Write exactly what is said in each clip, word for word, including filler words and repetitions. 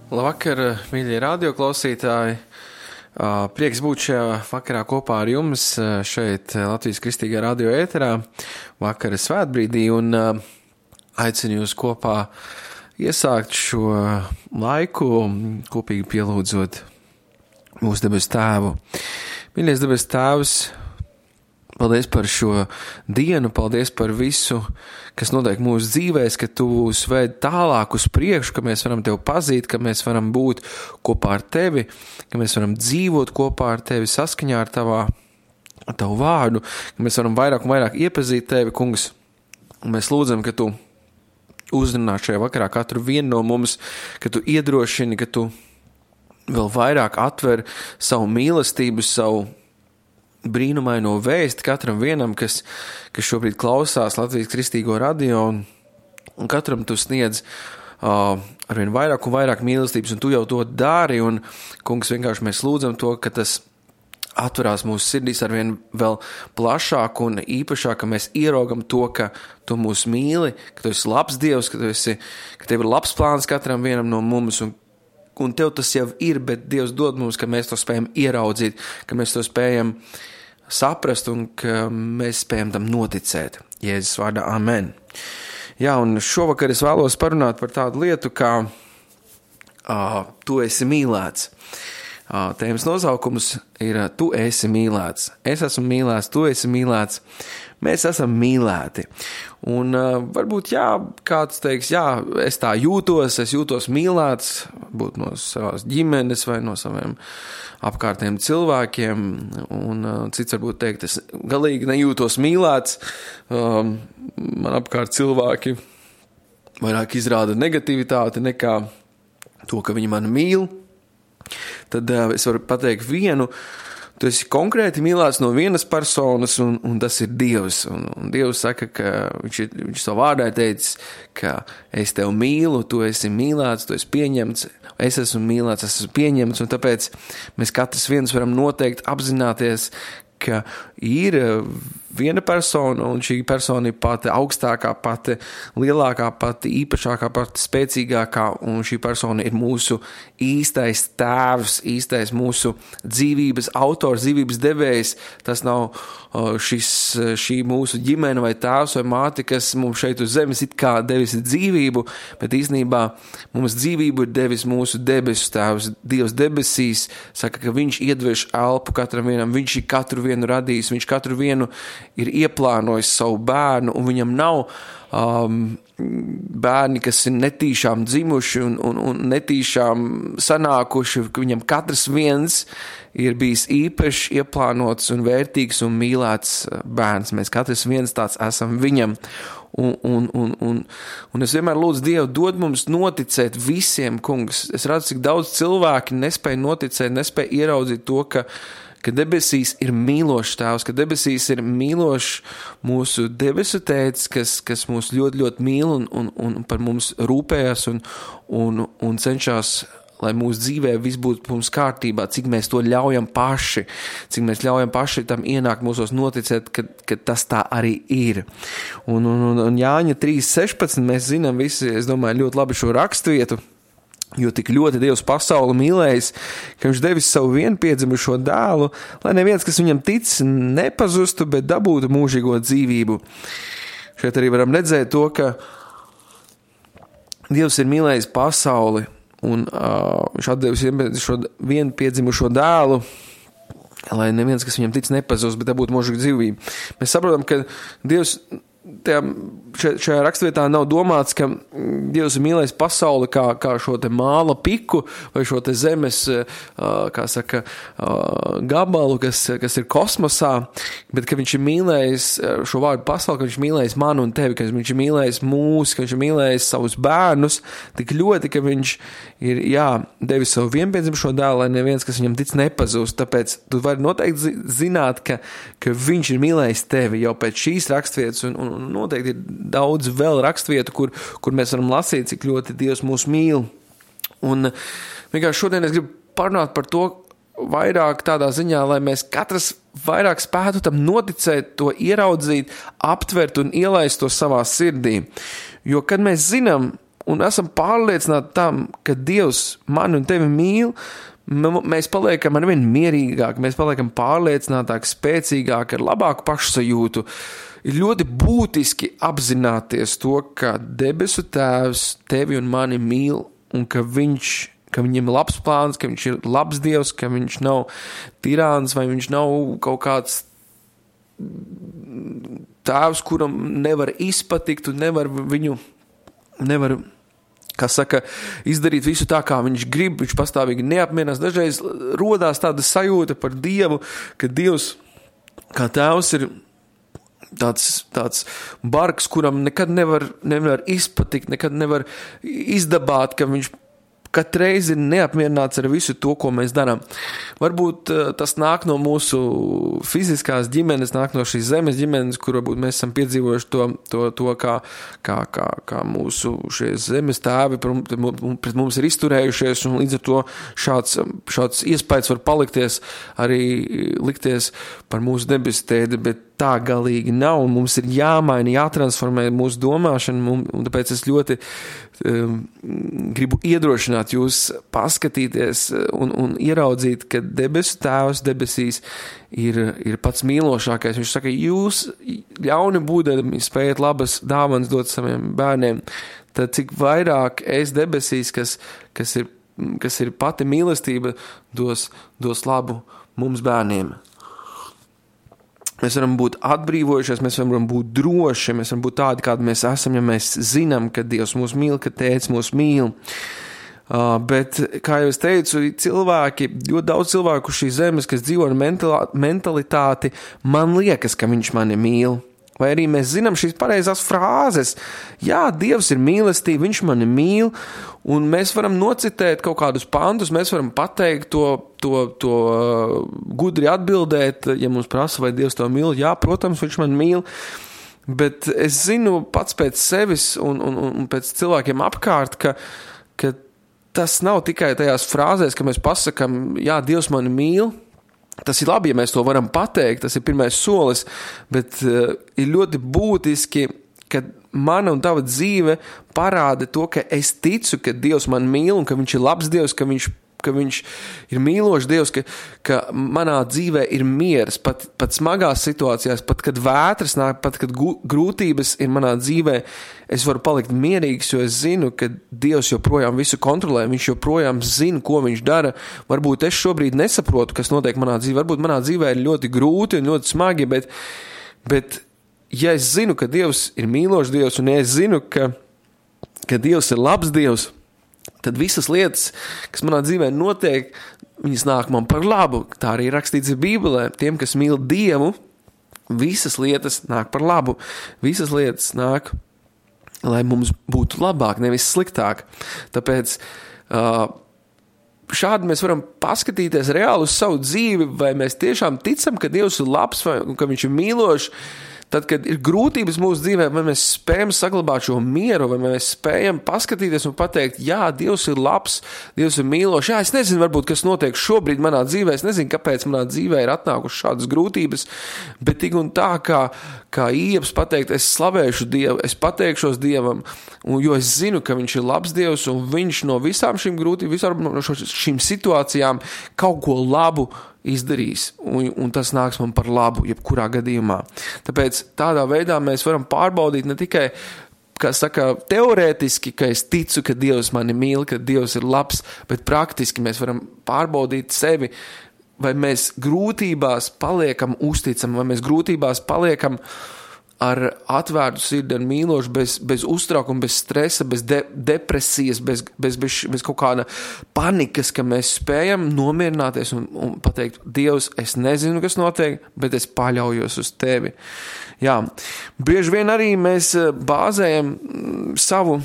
Labvakar, mīļie radioklausītāji! Prieks būt šajā vakarā kopā ar jums šeit Latvijas Kristīgā radio ēterā vakara svētbrīdī un aicinu jūs kopā iesākt šo laiku, kopīgi pielūdzot mūsu debes tēvu. Mīļais debes tēvs, paldies par šo dienu, paldies par visu, kas notiek mūsu dzīvēs, ka tu mūs ved tālāk uz priekšu, ka mēs varam tevi pazīt, ka mēs varam būt kopā ar tevi, ka mēs varam dzīvot kopā ar tevi saskaņā ar tavā, ar tavu vārdu, ka mēs varam vairāk un vairāk iepazīt tevi, kungs. Un mēs lūdzam, ka tu uzrunā šajā vakarā katru vienu no mums, ka tu iedrošini, ka tu vēl vairāk atver savu mīlestību, savu brīnumaino vēsti katram vienam, kas, kas šobrīd klausās Latvijas Kristīgo radio, un, un katram tu sniedz uh, arvien vairāk un vairāk mīlestības, un tu jau to dari, un, kungs, vienkārši mēs lūdzam to, ka tas atverās mūsu sirdīs arvien vēl plašāk un īpašāk, ka mēs ieraugam to, ka tu mūs mīli, ka tu esi labs Dievs, ka tu esi, ka tev ir labs plāns katram vienam no mums, un un tev tas jau ir, bet Dievs dod mums, ka mēs to spējam ieraudzīt, ka mēs to spējam saprast un ka mēs spējam tam noticēt. Jēzus vārdā, amen. Jā, un šovakar es vēlos parunāt par tādu lietu, kā uh, tu esi mīlēts. Uh, tēmas nosaukums ir uh, tu esi mīlēts. Es esmu mīlēts, tu esi mīlēts. Mēs esam mīlēti. Un uh, varbūt, jā, kāds teiks, jā, es tā jūtos, es jūtos mīlēts, būt no savās ģimenes vai no saviem apkārtiem cilvēkiem, un uh, cits varbūt teikt, es galīgi nejūtos mīlēts, um, man apkārt cilvēki vairāk izrāda negativitāti nekā to, ka viņi mani mīl. Tad uh, es varu pateikt vienu, tu esi konkrēti mīlēts no vienas personas, un, un tas ir Dievs. Un, un Dievs saka, ka viņš, viņš savu vārdā teicis, ka es tevi mīlu, tu esi mīlēts, tu esi pieņemts, es esmu mīlēts, es esmu pieņemts, un tāpēc mēs katrs viens varam noteikti apzināties, ka ir viena persona, un šī persona ir pati augstākā, pati lielākā, pati īpašākā, pati spēcīgākā, un šī persona ir mūsu īstais tēvs, īstais mūsu dzīvības autors, dzīvības devējs. Tas nav šis, šī mūsu ģimene vai tēvs vai māte, kas mums šeit uz zemes it kā devis dzīvību, bet īstenībā mums dzīvību ir devis mūsu debesu tēvs. Dievs debesīs saka, ka viņš iedveš elpu katram vienam, viņš ir katru vienu radījis, viņš katru vienu ir ieplānojis savu bērnu, un viņam nav um, bērni, kas ir netīšām dzimuši un, un, un netīšām sanākuši, ka viņam katrs viens ir bijis īpaši ieplānots un vērtīgs un mīlēts bērns. Mēs katrs viens tāds esam viņam. Un, un, un, un, un es vienmēr lūdzu Dievu, dod mums noticēt visiem, kungs. Es redzu, cik daudz cilvēki nespēja noticēt, nespēja ieraudzīt to, ka ka debesīs ir mīlošs tēvs, ka debesīs ir mīlošs mūsu debesu tētis, kas, kas mūs ļoti, ļoti mīl un, un, un par mums rūpējas un, un, un cenšas, lai mūsu dzīvē viss būtu mums kārtībā, cik mēs to ļaujam paši, cik mēs ļaujam paši tam ienākt mūsos noticēt, ka, ka tas tā arī ir. Un, un, un, un Jāņa trīs sešpadsmit mēs zinām visi, es domāju, ļoti labi šo rakstvietu, jo tik ļoti Dievs pasauli mīlējis, ka viņš devis savu vienpiedzimušo dēlu, lai neviens, kas viņam tic, nepazustu, bet dabūtu mūžīgo dzīvību. Šeit arī varam redzēt to, ka Dievs ir mīlējis pasauli, un uh, viņš atdevis šo vienpiedzimušo dēlu, lai neviens, kas viņam tic, nepazust, bet dabūtu mūžīgo dzīvību. Mēs saprotam, ka Dievs tajā, šajā rakstvietā nav domāts, ka Dievs ir mīlējis pasauli kā, kā šo te māla piku vai šo te zemes, kā saka, gabalu, kas, kas ir kosmosā, bet ka viņš ir mīlējis šo vārdu pasauli, ka viņš ir mīlējis mani un tevi, ka viņš ir mīlējis mūs, ka viņš ir mīlējis savus bērnus tik ļoti, ka viņš ir, jā, devis savu vienpiedzimušo dēlu, lai neviens, kas viņam tic, nepazūst. Tāpēc tu vari noteikti zināt, ka, ka viņš ir mīlējis tevi jau pēc šīs rakstvietas, un, un noteikti ir daudz vēl rakstvietu, kur, kur mēs varam lasīt, cik ļoti Dievs mūs mīl. Un vienkārši šodien es gribu parunāt par to vairāk tādā ziņā, lai mēs katrs vairāk spētu tam noticēt, to ieraudzīt, aptvert un ielaist to savā sirdī. Jo, kad mēs zinām, un esam pārliecināti tam, ka Dievs mani un tevi mīl, mēs paliekam arvien mierīgāk, mēs paliekam pārliecinātāk, spēcīgāk, ar labāku pašsajūtu. Ir ļoti būtiski apzināties to, ka debesu Tēvs tevi un mani mīl, un ka viņš, ka viņam ir labs plāns, ka viņš ir labs Dievs, ka viņš nav tirāns, vai viņš nav kaut kāds Tēvs, kuram nevar izpatikt un nevar viņu, nevar, kā saka, izdarīt visu tā, kā viņš grib, viņš pastāvīgi neapmierinās. Dažreiz rodās tāda sajūta par Dievu, ka Dievs, kā Tēvs, ir tāds, tāds bargs, kuram nekad nevar, nevar izpatikt, nekad nevar izdabāt, ka viņš katreiz ir neapmierināts ar visu to, ko mēs darām. Varbūt uh, tas nāk no mūsu fiziskās ģimenes, nāk no šīs zemes ģimenes, kur varbūt mēs esam piedzīvojuši to, to, to kā, kā, kā, kā mūsu šie zemes tēvi pret mums ir izturējušies, un līdz ar to šāds, šāds iespējas var palikties, arī likties par mūsu debesu tēdi, bet tā galīgi nav, un mums ir jāmaina, jātransformē mūsu domāšana, un tāpēc es ļoti um, gribu iedrošināt jūs paskatīties un, un ieraudzīt, ka debesu Tēvs debesīs ir, ir pats mīlošākais. Viņš saka, jūs ļauni būdami spējat labas dāvanas dot saviem bērniem, tad cik vairāk es debesīs, kas, kas, ir, kas ir pati mīlestība, dos, dos labu mums bērniem. Mēs varam būt atbrīvojušies, mēs varam būt droši, mēs varam būt tādi, kādi mēs esam, ja mēs zinām, ka Dievs mūs mīl, ka Tēvs mūs mīl. Uh, bet, kā jau es teicu, cilvēki, ļoti daudz cilvēku šīs zemes, kas dzīvo ar mentalitāti, man liekas, ka viņš mani mīl. Vai arī mēs zinām šīs pareizās frāzes. Jā, Dievs ir mīlestība, viņš mani mīl, un mēs varam nocitēt kaut kādus pantus, mēs varam pateikt to, to, to gudri atbildēt, ja mums prasa, vai Dievs to mīl. Jā, protams, viņš mani mīl, bet es zinu pats pēc sevis un, un, un pēc cilvēkiem apkārt, ka, ka tas nav tikai tajās frāzēs, ka mēs pasakam, jā, Dievs mani mīl. Tas ir labi, ja mēs to varam pateikt, tas ir pirmais solis, bet uh, ir ļoti būtiski, ka mana un tava dzīve parāda to, ka es ticu, ka Dievs man mīl un ka viņš ir labs Dievs, ka viņš, ka viņš ir mīlošs Dievs, ka, ka manā dzīvē ir miers, pat, pat smagās situācijās, pat kad vētras nāk, pat kad gu, grūtības ir manā dzīvē, es varu palikt mierīgs, jo es zinu, ka Dievs joprojām visu kontrolē, viņš joprojām zina, ko viņš dara. Varbūt es šobrīd nesaprotu, kas notiek manā dzīvē, varbūt manā dzīvē ir ļoti grūti un ļoti smagi, bet, bet ja es zinu, ka Dievs ir mīlošs Dievs, un ja es zinu, ka, ka Dievs ir labs Dievs, tad visas lietas, kas manā dzīvē notiek, viņas nāk man par labu. Tā arī rakstīts ir Bībelē. Tiem, kas mīl Dievu, visas lietas nāk par labu. Visas lietas nāk, lai mums būtu labāk, nevis sliktāk. Tāpēc uh, šādi mēs varam paskatīties reāli uz savu dzīvi, vai mēs tiešām ticam, ka Dievs ir labs vai ka viņš ir mīlošs. Tad, kad ir grūtības mūsu dzīvē, vai mēs spējam saglabāt šo mieru, vai mēs spējam paskatīties un pateikt, jā, Dievs ir labs, Dievs ir mīlošs. Jā, es nezinu, varbūt, kas notiek šobrīd manā dzīvē, es nezinu, kāpēc manā dzīvē ir atnākušas šādas grūtības, bet tik un tā, kā, kā Ieps pateikt, es slavēšu Dievu, es pateikšos Dievam, un, jo es zinu, ka viņš ir labs Dievs, un viņš no visām šīm grūtībām, visām no šīm situācijām kaut ko labu izdarīs, un, un tas nāks man par labu, jebkurā gadījumā. Tāpēc tādā veidā mēs varam pārbaudīt ne tikai, kā saka, teorētiski, ka es ticu, ka Dievs mani mīl, ka Dievs ir labs, bet praktiski mēs varam pārbaudīt sevi, vai mēs grūtībās paliekam uzticami, vai mēs grūtībās paliekam ar atvērtu sirdi un mīlošu, bez, bez uztraukuma, bez stresa, bez de, depresijas, bez, bez, bez, bez kaut kāda panikas, ka mēs spējam nomierināties un, un pateikt, Dievs, es nezinu, kas notiek, bet es paļaujos uz tevi. Jā, bieži vien arī mēs bāzējam savu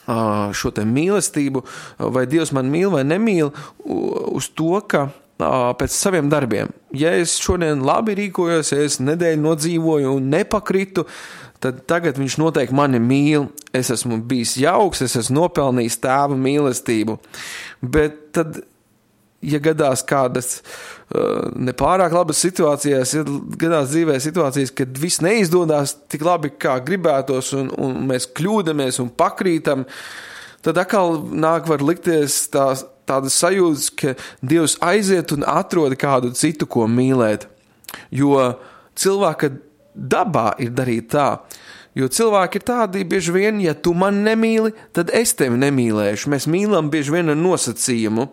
šo te mīlestību, vai Dievs man mīl vai nemīl, uz to, ka pēc saviem darbiem. Ja es šodien labi rīkojos, ja es nedēļu nodzīvoju un nepakritu, tad tagad viņš noteikti mani mīl, es esmu bijis jauks, es esmu nopelnījis tēva mīlestību. Bet tad ja gadās kādas uh, nepārāk labas situācijas, ja gadās dzīvē situācijas, kad viss neizdodas tik labi, kā gribētos, un, un mēs kļūdamies un pakrītam, tad atkal nāk var likties tās, tādas sajūtas, ka Dievs aiziet un atrod kādu citu, ko mīlēt. Jo cilvēka dabā ir darīt tā. Jo cilvēki ir tādi bieži vien, ja tu man nemīli, tad es tevi nemīlēšu. Mēs mīlam bieži vien ar nosacījumu.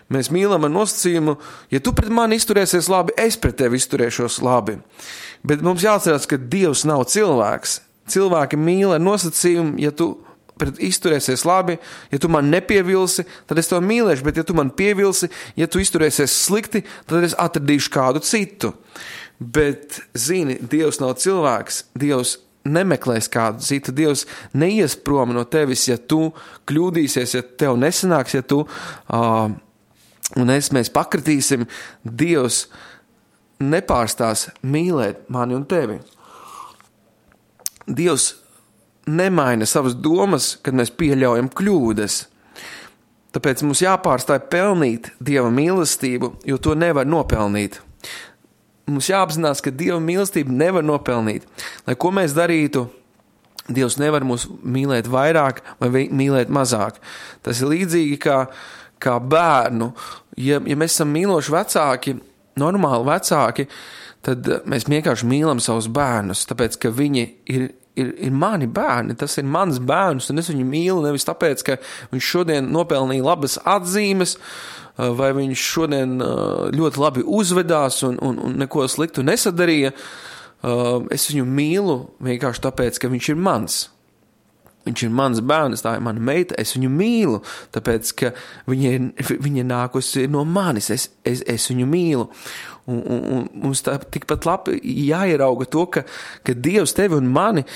Mēs mīlam ar nosacījumu, ja tu pret mani izturēsies labi, es pret tevi izturēšos labi. Bet mums jāatcerās, ka Dievs nav cilvēks. Cilvēki mīl ar nosacījumu, ja tu pret izturēsies labi, ja tu man nepievilsi, tad es tev mīlēšu, bet ja tu man pievilsi, ja tu izturēsies slikti, tad es atradīšu kādu citu. Bet, zini, Dievs nav cilvēks, Dievs nemeklēs kādu citu, Dievs neies prom no tevis, ja tu kļūdīsies, ja tev nesanāks, ja tu uh, un es mēs pakritīsim, Dievs nepārstās mīlēt mani un tevi. Dievs nemaina savas domas, kad mēs pieļaujam kļūdas. Tāpēc mums jāpārstāj pelnīt Dieva mīlestību, jo to nevar nopelnīt. Mums jāapzinās, ka Dieva mīlestību nevar nopelnīt. Lai ko mēs darītu, Dievs nevar mūs mīlēt vairāk vai mīlēt mazāk. Tas ir līdzīgi kā, kā bērnu. Ja, ja mēs esam mīloši vecāki, normāli vecāki, tad mēs vienkārši mīlam savus bērnus, tāpēc, ka viņi ir Ir, ir mani bērni, tas ir mans bērns, un es viņu mīlu nevis tāpēc, ka viņš šodien nopelnīja labas atzīmes, vai viņš šodien ļoti labi uzvedās un, un, un neko sliktu nesadarīja. Es viņu mīlu vienkārši tāpēc, ka viņš ir mans. Viņš ir mans bērns, tā ir mana meita, es viņu mīlu, tāpēc, ka viņa ir, viņa nākusi no manis, es, es, es viņu mīlu. Un, un, un mums tā tikpat labi jāierauga to, ka, ka Dievs tevi un mani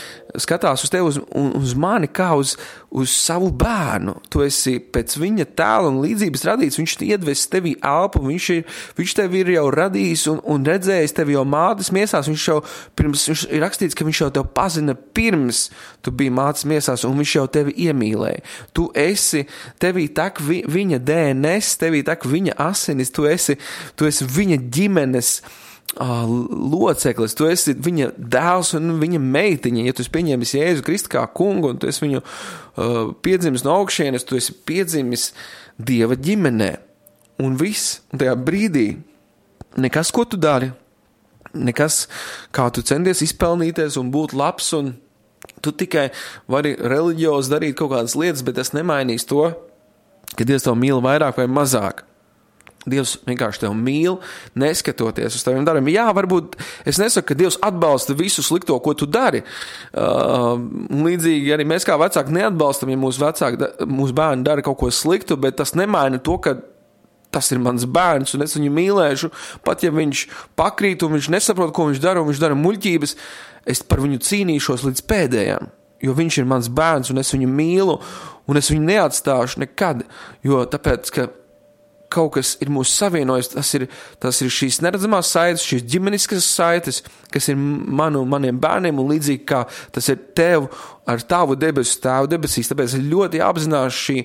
skatās uz tevi uz, uz mani kā uz, uz savu bērnu. Tu esi pēc viņa tēla un līdzības radīts, viņš iedves tevī elpu, viņš, ir, viņš tevi ir jau radījis un, un redzējis tevi jau mātes miesās, viņš jau pirms, viņš ir rakstīts, ka viņš jau tev pazina pirms tu biji mātes miesās un viņš jau tevi iemīlēja. Tu esi, tevī tak vi, viņa D N S, tevī tak viņa asinis, tu esi, tu esi viņa ģimene, Uh, loceklis, tu esi viņa dēls un viņa meitiņa, ja tu esi pieņēmis Jēzu Kristu kā kungu un tu esi viņu uh, piedzimis no augšienes, tu esi piedzimis Dieva ģimenē un viss, un tajā brīdī nekas, ko tu dari, nekas, kā tu centies izpelnīties un būt labs, un tu tikai vari reliģiozi darīt kaut kādas lietas, bet tas nemainīs to, ka Dievs tev mīl vairāk vai mazāk. Dievs vienkārši tev mīl, neskatoties uz taviem darbiem. Jā, varbūt es nesaku, ka Dievs atbalsta visu slikto, ko tu dari. Uh, līdzīgi arī mēs kā vecāki neatbalstam, ja mūsu vecāki, mūsu bērni dara kaut ko sliktu, bet tas nemaina to, ka tas ir mans bērns un es viņu mīlēšu. Pat ja viņš pakrīt un viņš nesaprot, ko viņš dara un viņš dara muļķības, es par viņu cīnīšos līdz pēdējām. Jo viņš ir mans bērns un es viņu mīlu un es viņu neatstāšu nekad. Jo tāpēc, ka kaut kas ir mūs savienojis, tas ir, tas ir šīs neredzamās saites, šīs ģimeniskas saites, kas ir manu, maniem bērniem un līdzīgi kā tas ir tev ar tavu debesu tēvu debesīs. Tāpēc ir ļoti jāapzinās šī,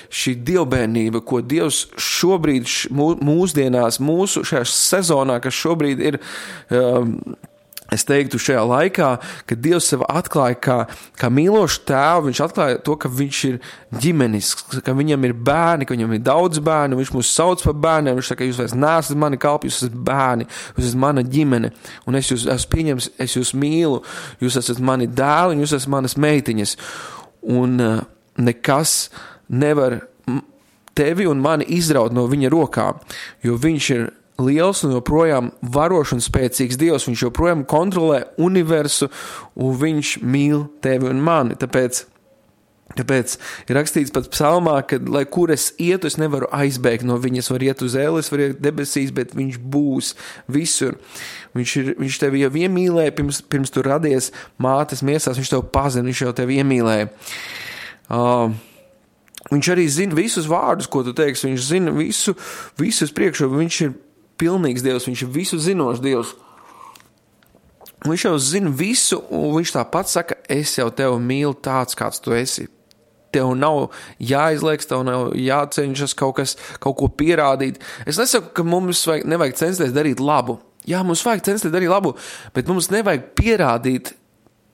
šī dievbērnība, ko Dievs šobrīd mūsdienās, mūsu šajā sezonā, kas šobrīd ir, um, es teiktu šajā laikā, kad Dievs sev atklāja kā, kā mīlošu tēvu, viņš atklāja to, ka viņš ir ģimenisks, ka viņam ir bērni, ka viņam ir daudz bērnu, viņš mūs sauc par bērniem, viņš saka, jūs vairs neesat mani kalpi, jūs esat bērni, jūs esat mana ģimene, un es jūs esmu pieņems, es jūs mīlu, jūs esat mani dēli, un jūs esat manas meitiņas, un uh, nekas nevar tevi un mani izraut no viņa rokām, jo viņš ir liels un joprojām varošs un spēcīgs Dievs, viņš joprojām kontrolē universu un viņš mīl tevi un mani, tāpēc, tāpēc ir rakstīts pat psalmā, ka lai kur es ietu, es nevaru aizbēgt no viņas, var iet uz ēles, var iet debesīs, bet viņš būs visur. Viņš, ir, viņš tevi jau iemīlēja, pirms, pirms tu radies mātes miesās, viņš tev pazina, viņš jau tevi iemīlēja. Uh, viņš arī zina visus vārdus, ko tu teiksi, viņš zina visu, visus priekšu, viņš ir pilnīgs Dievs, viņš ir visu zinošs Dievs. Viņš jau zina visu, un viņš tāpat saka, es jau tevi mīlu tāds, kāds tu esi. tev nav jāizlieks, tev nav jācenšas kaut kas, kaut ko pierādīt. Es nesaku, ka mums vajag, nevajag censties darīt labu. Jā, mums vajag censties darīt labu, bet mums nevajag pierādīt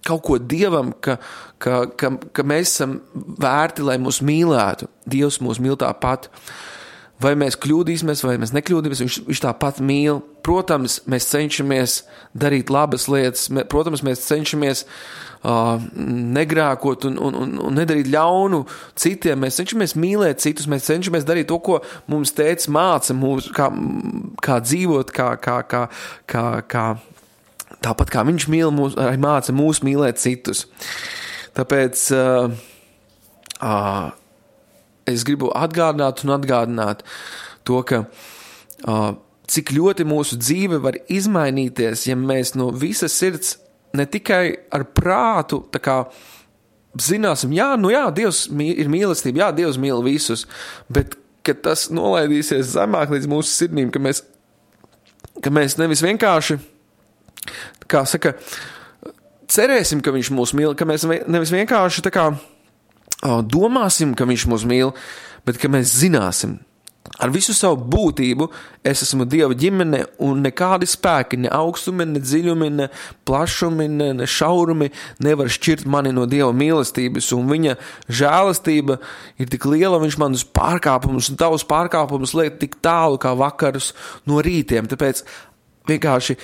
kaut ko Dievam, ka, ka, ka, ka mēs esam vērti, lai mūs mīlētu. Dievs mūs mīl tāpat. Vai mēs kļūdīsimies, vai mēs nekļūdīsimies, viņš, viņš tāpat mīl. Protams, mēs cenšamies darīt labas lietas, protams, mēs cenšamies uh, negrēkot un, un, un, un nedarīt ļaunu citiem. Mēs cenšamies mīlēt citus, mēs cenšamies darīt to, ko mums tēvs māca, mūs, kā, kā dzīvot, kā, kā, kā, kā, kā, tāpat kā viņš mīl mūs, arī māca mūs mīlēt citus. Tāpēc uh, uh, es gribu atgādināt un atgādināt to, ka uh, cik ļoti mūsu dzīve var izmainīties, ja mēs no visas sirds ne tikai ar prātu tā kā zināsim, jā, nu jā, Dievs ir mīlestība, jā, Dievs mīl visus, bet ka tas nolaidīsies zemāk līdz mūsu sirdīm, ka mēs, ka mēs nevis vienkārši, kā saka, cerēsim, ka viņš mūs mīl, ka mēs nevis vienkārši tā kā domāsim, ka viņš mūs mīl, bet ka mēs zināsim. Ar visu savu būtību es esmu Dieva ģimene un nekādi spēki, ne augstumi, ne dziļumi, ne plašumi, ne, ne šaurumi nevar šķirt mani no Dieva mīlestības, un viņa žēlastība ir tik liela, viņš manus pārkāpumus un tavus pārkāpumus liek tik tālu kā vakarus no rītiem. Tāpēc vienkārši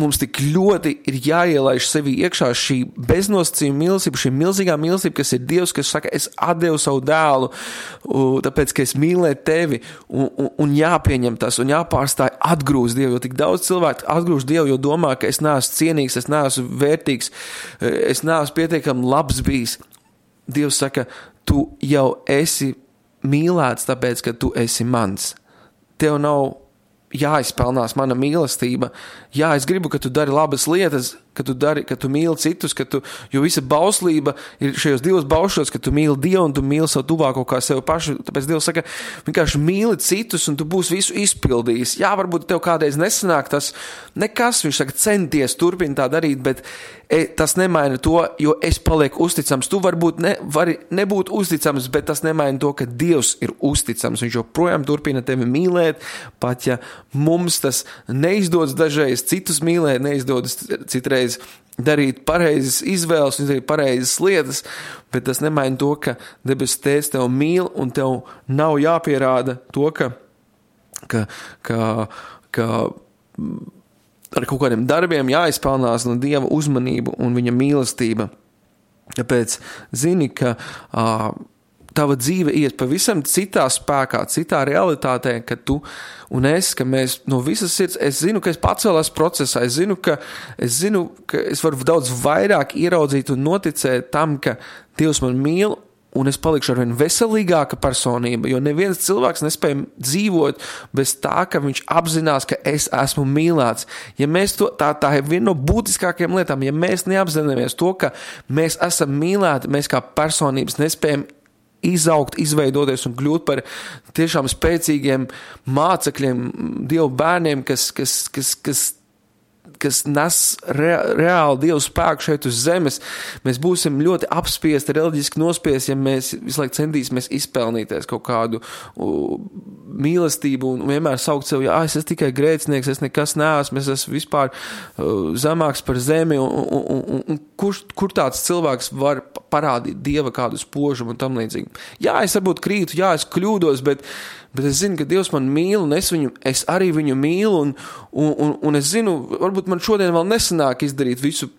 mums tik ļoti ir jāielaiž sevi iekšā šī beznosacījuma mīlestība, šī milzīgā mīlestība, kas ir Dievs, kas saka, es atdevu savu dēlu, tāpēc, ka es mīlēju tevi, un, un, un jāpieņem tas, un jāpārstāj atgrūst Dievu, jo tik daudz cilvēku atgrūst Dievu, jo domā, ka es neesmu cienīgs, es neesmu vērtīgs, es neesmu pietiekami labs bijis. Dievs saka, tu jau esi mīlēts, tāpēc, ka tu esi mans. Tev nav jāizpelnās mana mīlestība. Jā, es gribu, ka tu dari labas lietas, ka tu dari, ka tu mīli citus, ka tu, jo visa bauslība ir šajos divos baušos, ka tu mīli Dievu un tu mīli savu tuvāko kā sevi pašu. Tāpēc Dievs saka, vienkārši mīli citus un tu būsi visu izpildījis. Jā, varbūt tev kādreiz nesanāk tas nekas, viņš saka, centies turpini tā darīt, bet e, tas nemaina to, jo es palieku uzticams. Tu varbūt ne, vari nebūt uzticams, bet tas nemaina to, ka Dievs ir uzticams. Viņš joprojām turpina tevi mīlēt, pat ja mums tas neizdodas dažreiz citus mīlēt, neizdodas citreiz darīt pareizes izvēles un darīt pareizes lietas, bet tas nemaina to, ka debes Tēvs tev mīl un tev nav jāpierāda to, ka, ka, ka, ka ar kaut kādiem darbiem jāizpelnās no Dieva uzmanību un viņa mīlestība. Tāpēc zini, ka uh, tava dzīve iet pavisam citā spēkā, citā realitātē, ka tu un es, ka mēs no visas sirds, es zinu, ka es pacēlās procesā, es zinu, ka es zinu, ka es varu daudz vairāk ieraudzīt un noticēt tam, ka Dievs man mīl un es palikšu arvien veselīgāka personība, jo neviens cilvēks nespēja dzīvot bez tā, ka viņš apzinās, ka es esmu mīlēts. Ja mēs to, tā, tā ir viena no būtiskākajām lietām, ja mēs neapzināmies to, ka mēs esam mīlēti, mēs kā personības nespējam izaugt, izveidoties un kļūt par tiešām spēcīgiem mācekļiem, Dievu bērniem, kas, kas, kas, kas, kas nes re, reāli Dievu spēku šeit uz zemes. Mēs būsim ļoti apspiesti, reliģiski nospiesti, ja mēs visu laiku centīsimies izpelnīties kaut kādu uh, mīlestību un vienmēr saukt sev, jā, es esmu tikai grēcinieks, es nekas neesmu, es esmu vispār uh, zemāks par zemi, un, un, un, un kur, kur tāds cilvēks var parādīt Dieva kādu spožumu un tam līdzīgi. Jā, es varbūt krītu, jā, es kļūdos, bet, bet es zinu, ka Dievs man mīl, un es, viņu, es arī viņu mīlu, un, un, un, un es zinu, varbūt man šodien vēl nesanāk izdarīt visu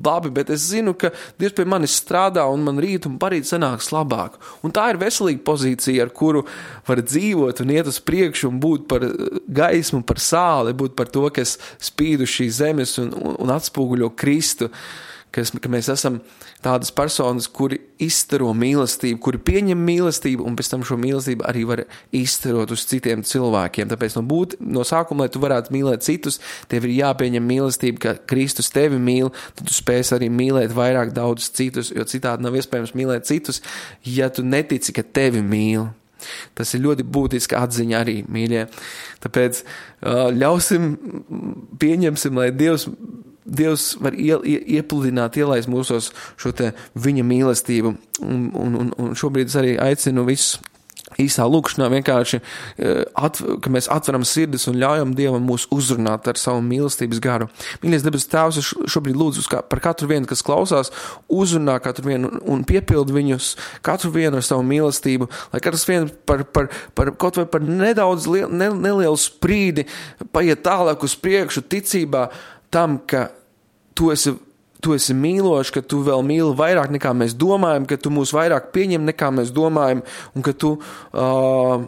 labi, bet es zinu, ka Dievs pie manis strādā, un man rīt un parīt sanāks labāk. Un tā ir veselīga pozīcija, ar kuru var dzīvot un iet uz priekšu un būt par gaismu, par sāli, būt par to, kas spīd uz šīs zemes un, un, un atspūguļo Kristu. Kas, ka mēs esam tādas personas, kuri izstaro mīlestību, kuri pieņem mīlestību un pēc tam šo mīlestību arī var izstarot uz citiem cilvēkiem. Tāpēc no, būt, no sākuma, lai tu varētu mīlēt citus, tev ir jāpieņem mīlestība, ka Kristus tevi mīl, tad tu spēsi arī mīlēt vairāk daudz citus, jo citādi nav iespējams mīlēt citus, ja tu netici, ka tevi mīl. Tas ir ļoti būtiska atziņa arī, mīļie. Tāpēc ļausim, pieņemsim, lai Dievs Dievs var ie, ie, iepludināt, ielaist mūsos šo te viņa mīlestību. Un, un, un šobrīd es arī aicinu visus īsā lūkšanā vienkārši, at, ka mēs atveram sirdis un ļaujam Dievam mūs uzrunāt ar savu mīlestības garu. Mīļais debes Tēvs, es šobrīd lūdzu par katru vienu, kas klausās, uzrunā katru vienu un piepild viņus, katru vienu ar savu mīlestību, lai katrs viens par, par, par kaut vai par nedaudz liel, ne, nelielu sprīdi paiet tālāk uz priekšu ticībā tam, ka tu esi Tu esi mīlošs, ka tu vēl mīli vairāk nekā mēs domājam, ka tu mūs vairāk pieņem nekā mēs domājam, un ka tu, uh,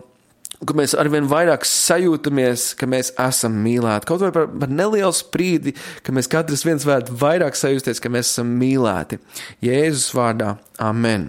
ka mēs arvien vairāk sajūtamies, ka mēs esam mīlēti. Kaut vai par, par nelielu sprīdi, ka mēs katrs viens varētu vairāk sajusties, ka mēs esam mīlēti. Jēzus vārdā. Amen.